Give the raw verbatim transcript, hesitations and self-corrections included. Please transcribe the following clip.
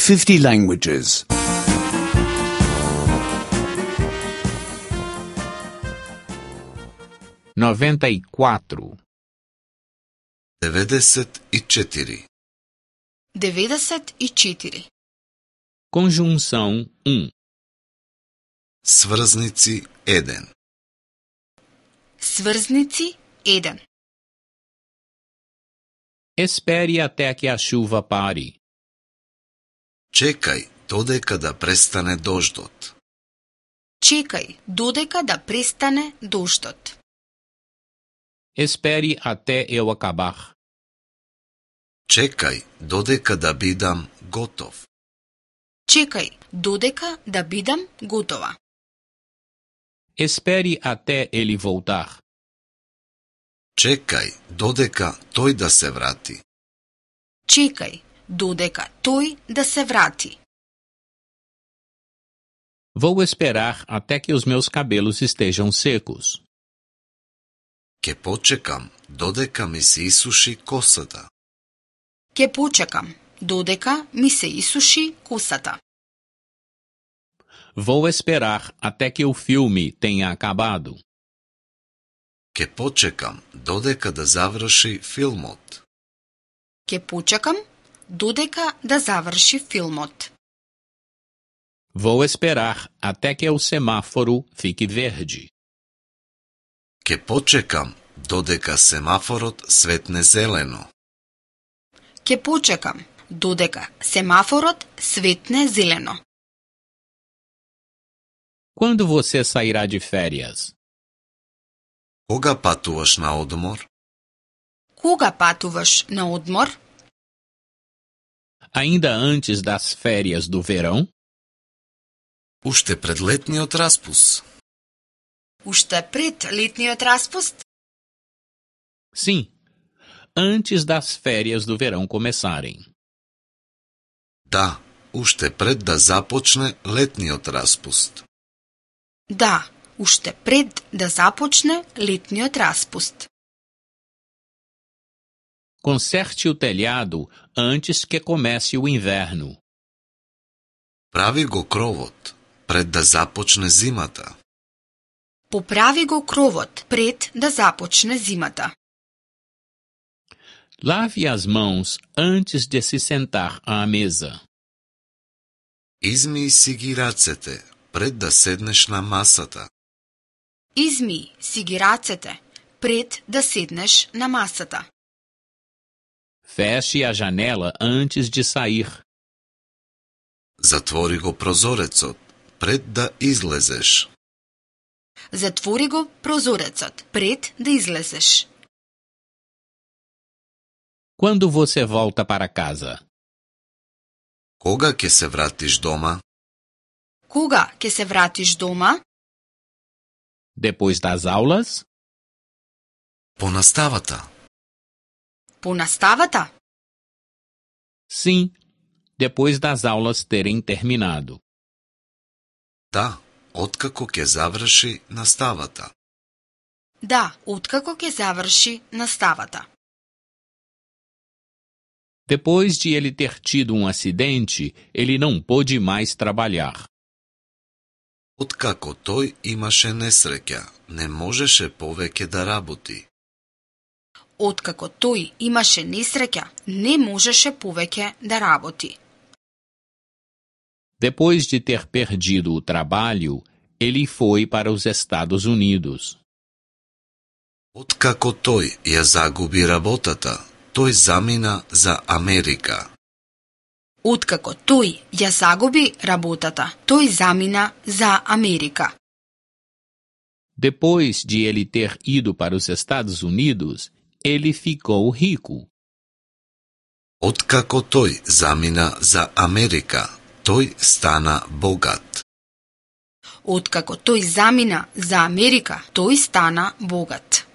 fifty languages. noventa e quatro. деветдесет и четири. деветдесет и четири. Conjunção um. Сврзници еден. Сврзници еден. Espere até que a chuva pare. Чекај додека да престане дождот. Чекај додека да престане дождот. Espere até eu acabar. Чекај додека да бидам готов. Чекај додека да бидам готова. Espere até ele voltar. Чекај додека тој да се врати. Чекај додека тој да се врати. Vou esperar até que os meus cabelos estejam secos. Ке почекам додека ми се исуши косата. Ке почекам додека ми се исуши косата. Vou esperar até que o filme tenha acabado. Ке почекам додека да заврши филмот. Ке почекам додека да заврши филмот. Vou esperar até que o semáforo fique verde. Ке почекам додека семафорот светне зелено. Ке почекам додека семафорот светне зелено. Quando você sairá de férias? Кога патуваш на одмор? Кога патуваш на одмор? Ainda antes das férias do verão? Уште пред летниот распуст. Уште пред летниот распуст? Sim, antes das férias do verão começarem. Да, уште пред да започне летниот распуст. Да, уште пред да започне летниот распуст. Conserte o telhado antes que comece o inverno. Прави го кровот пред да започне зимата. Поправи го кровот пред да започне зимата. Lave as mãos antes de se sentar à mesa. Измии си ги рацете пред да седнеш на масата. Измии си ги рацете пред да седнеш на масата. Feche a janela antes de sair. Затвори го прозорецот пред да излезеш. Затвори го прозорецот пред да излезеш. Quando você volta para casa? Кога ќе се вратиш дома? Кога ќе се вратиш дома? Depois das aulas? По наставата. По наставата? Sim, depois das aulas terem terminado. Да, откако ќе заврши наставата. Да, откако ќе заврши наставата. Depois de ele ter tido um acidente, ele não pôde mais trabalhar. Откако тој имаше несреќа, не можеше повеќе да работи. Откако тој имаше несреќа, не можеше повеќе да работи. Depois de ter perdido o trabalho, ele foi para os Estados Unidos. Откако тој ја загуби работата, тој замина за Америка. Откако тој ја загуби работата, тој замина за Америка. Depois de ele ter ido para os Estados Unidos, ele ficou rico. Откако тој замина за Америка, тој стана богат. Откако тој замина за Америка, тој стана богат.